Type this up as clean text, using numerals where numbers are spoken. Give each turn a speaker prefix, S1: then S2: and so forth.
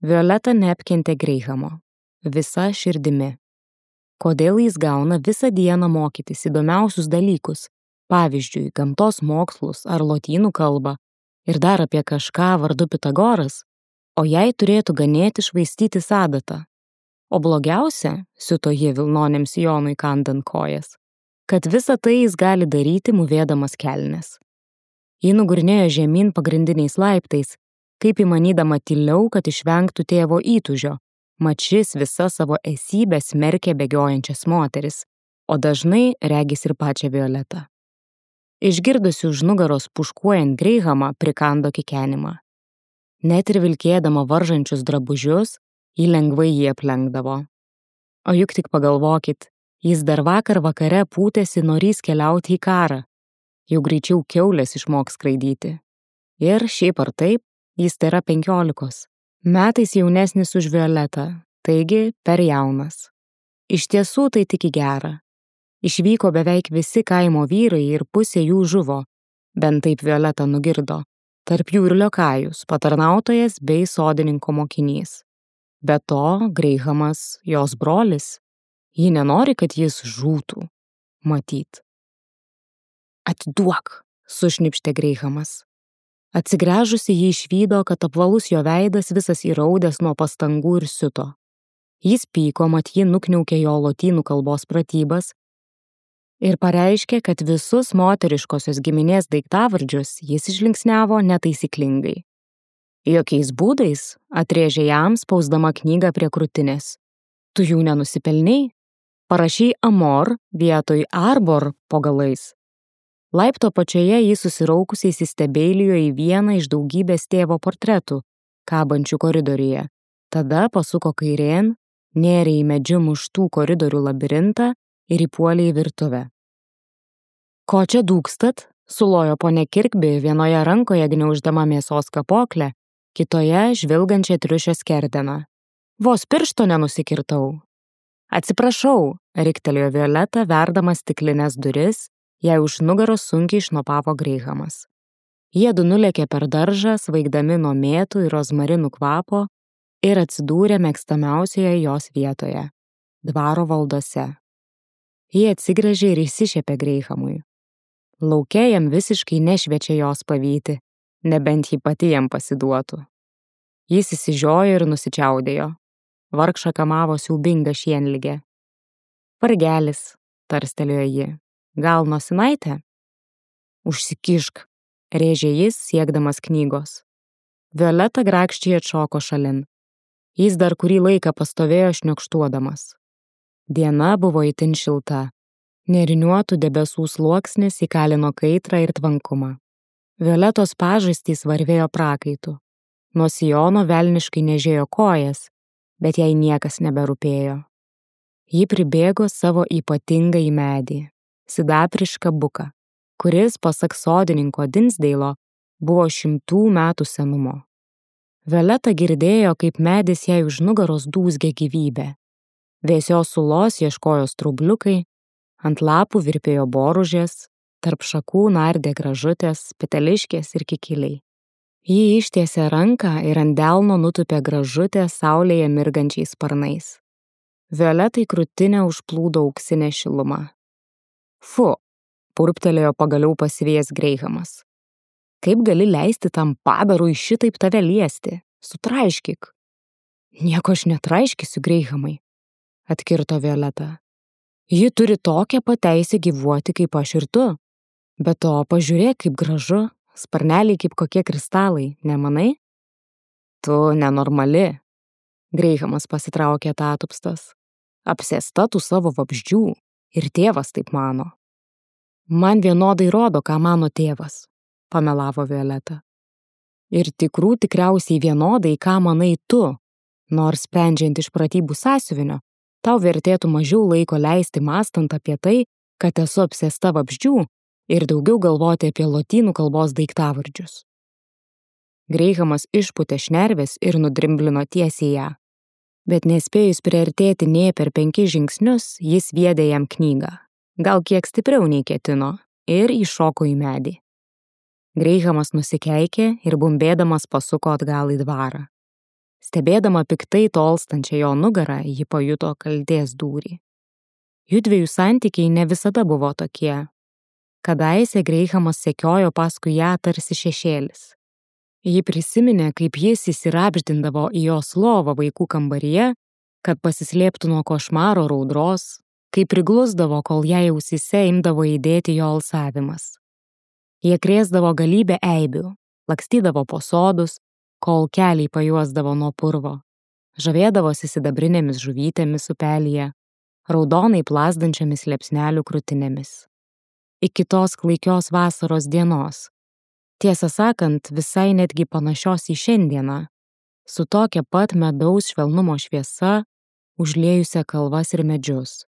S1: Violeta neapkentė Greihamo. Visa širdimi. Kodėl jis gauna visą dieną mokytis įdomiausius dalykus, pavyzdžiui, gamtos mokslus ar lotynų kalbą, ir dar apie kažką vardu Pitagoras, o jai turėtų ganėti švaistytis adatą. O blogiausia, siuto ji vilnonėms Jonui kandant kojas, kad visą tai jis gali daryti mūvėdamas kelnes. Ji nugurnėjo žemyn pagrindiniais laiptais, kaip įmanydama tyliau, kad išvengtų tėvo įtūžio, mat šis visa savo esybę smerkė bėgiojančias moteris, o dažnai regis ir pačią Violetą. Išgirdusi už nugaros puškuojant Greihamą prikando kikenimą. Net ir vilkėdama varžančius drabužius, ji lengvai jį aplenkdavo. O juk tik pagalvokit, jis dar vakar vakare pūtėsi norys keliauti į karą, jau greičiau kiaulės išmoks skraidyti. Ir šiaip ar taip, jis tėra 15, metais jaunesnis už Violetą, taigi per jaunas. Iš tiesų tai tik į gerą. Išvyko beveik visi kaimo vyrai ir pusė jų žuvo, bent taip Violeta nugirdo, tarp jų ir liokajus, patarnautojas bei sodininko mokinys. Be to, Greihamas, jos brolis, ji nenori, kad jis žūtų, matyt. Atiduok, sušnipštė Greihamas. Atsigręžusi jį išvydo, kad apvalus jo veidas visas įraudęs nuo pastangų ir siuto. Jis pyko, mat ji nukniaukė jo lotynų kalbos pratybas ir pareiškė, kad visus moteriškosios giminės daiktavardžius jis išlinksniavo netaisyklingai. Jokiais būdais, atrėžė jam, spausdama knygą prie krūtinės. Tu jų nenusipelnei? Parašy amor vietoj arbor po galais. Laipto pačioje jis susiraukusiai įsistebeilijo į vieną iš daugybės tėvo portretų, kabančių koridoriuje. Tada pasuko kairėn, nėrė į medžiu muštų koridorių labirintą ir įpuolė į virtuvę. Ko čia dūkstat? Sulojo ponia Kirkbi, vienoje rankoje gniauždama mėsos kapoklę, kitoje žvilgančią triušio skerdeną. Vos piršto nenusikirtau. Atsiprašau, riktelėjo Violeta, verdama stiklinės duris, jai už nugaros sunkiai šnopavo Greihamas. Jiedu nulėkė per daržą, svaigdami nuo mėtų ir rozmarinų kvapo ir atsidūrė mėgstamiausioje jos vietoje – dvaro valdose. Jie atsigręžė ir įsišiepė Greihamui. Lauke jam visiškai nešviečia jos pavyti, nebent ji pati jam pasiduotų. Jis įsižiojo ir nusičiaudėjo. Vargšą kamavo siaubinga šienligė. Vargelis, tarstelėjo ji. Gal nosinaitė? Užsikišk, rėžė jis, siekdamas knygos. Violeta grakščiai atšoko šalin. Jis dar kurį laiką pastovėjo šniokštuodamas. Diena buvo itin šilta. Nėriniuotų debesų sluoksnis įkalino kaitrą ir tvankumą. Violetos pažastys varvėjo prakaitu. Nuo sijono velniškai nežėjo kojas, bet jai niekas neberūpėjo. Ji pribėgo savo ypatingą į medį, sidabrišką buką, kuris, pasak sodininko Dinsdeilo, buvo 100 metų senumo. Violeta girdėjo, kaip medis jai už nugaros dūzgė gyvybę. Vėsios sulos ieškojo strubliukai, ant lapų virpėjo boružės, tarp šakų nardė gražutės, peteliškės ir kikiliai. Ji ištiesė ranką ir ant delno nutupė gražutę saulėje mirgančiais sparnais. Violetai krūtinę užplūdo auksinė šiluma. Fu, purptelėjo pagaliau pasivėjęs Greihamas. Kaip gali leisti tam padarui šitaip tave liesti? Sutraiškyk. Nieko aš netraiškysiu, Greihamai, atkirto Violeta. Ji turi tokią pateisę gyvuoti kaip aš ir tu. Be to, pažiūrėk, kaip gražu, sparneliai kaip kokie kristalai, nemanai? Tu nenormali. Greihamas pasitraukė tatupstas. Apsėsta tų savo vabzdžių ir tėvas taip mano. Man vienodai rodo, ką mano tėvas, pamelavo Violeta. Ir tikrų tikriausiai vienodai, ką manai tu, nors sprendžiant iš pratybų sąsiuvinio, tau vertėtų mažiau laiko leisti mąstant apie tai, kad esu apsėsta vabzdžių ir daugiau galvoti apie lotynų kalbos daiktavardžius. Greihamas išpūtė šnerves ir nudrimblino tiesiai ją. Bet nespėjus priartėti nė per 5 žingsnius, jis viedė jam knygą, gal kiek stipriau nei ketino, ir įšoko į medį. Greihamas nusikeikė ir bumbėdamas pasuko atgal į dvarą. Stebėdama piktai tolstančią jo nugarą, ji pajuto kaltės dūrį. Jųdviejų santykiai ne visada buvo tokie. Kadaise Greihamas sekiojo paskui ją tarsi šešėlis. Ji prisiminė, kaip jis įsirabždindavo į jos lovą vaikų kambaryje, kad pasislėptų nuo košmaro raudros, kai priglusdavo, kol jai ausyse imdavo įdėti jo alsavimas. Jie krėsdavo galybę eibių, lakstydavo po sodus, kol keliai pajuosdavo nuo purvo, žavėdavosi sidabrinėmis žuvytėmis upelyje, raudonai plazdančiomis liepsnelių krūtinėmis. Iki tos klaikios vasaros dienos, tiesą sakant, visai netgi panašios į šiandieną, su tokia pat medaus švelnumo šviesa, užliejusia kalvas ir medžius.